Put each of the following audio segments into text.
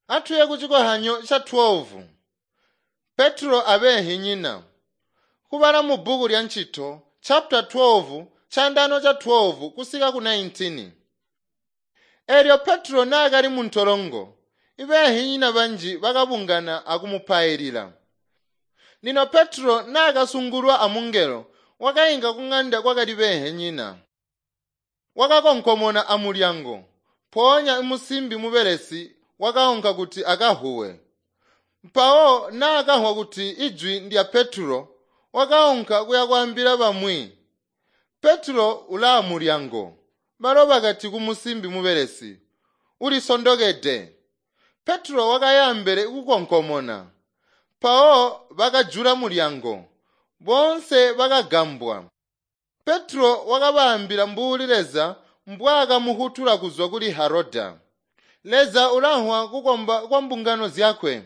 Atuye kucikohanyo ca 12. Petro abenhinyina. Kubala mu bbuku lya Ncito chapter 12 chandano cha 12 kusika ku 19. Elyo Petro naakali mu ntolongo, ibenhinyina banji bakabungana akumupailila. Lino Petro naakasungulwa amungelo, wakainka kung'anda kwakali benhinyina. Wakakonkomona amulyango, mpoonya musimbi mubelesi wakaunka kuti akahuwe. Mpawo naakahwa kuti ijwi ndya Petro, wakaunka kuya kwaambila bamwi. Petro ulaa mulyango. Balo bakati kumusimbi mubelesi, "Ulisondokede." Petro wakaya ambele kukonkomona. Mpawo bakajula mulyango. Boonse bakagambwa. Petro wakabaambila mbuli Leza mbwaakamuhutula kuzwa kuli Heroda. Leza ulanhwa kukomba kwa mbungano zyakwe.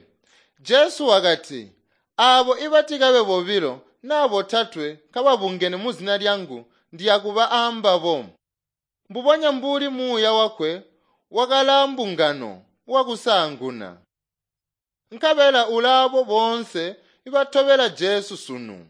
Jesu wakati, "Aabo ibatikabe bobilo naa botatwe kababungene muzina lyangu ndiyakuba aambabo." Mbubonya mbuli muuya wakwe wakalaa mbungano wakusaanguna. Nkabela ulaabo boonse ibatobela Jesu sunu.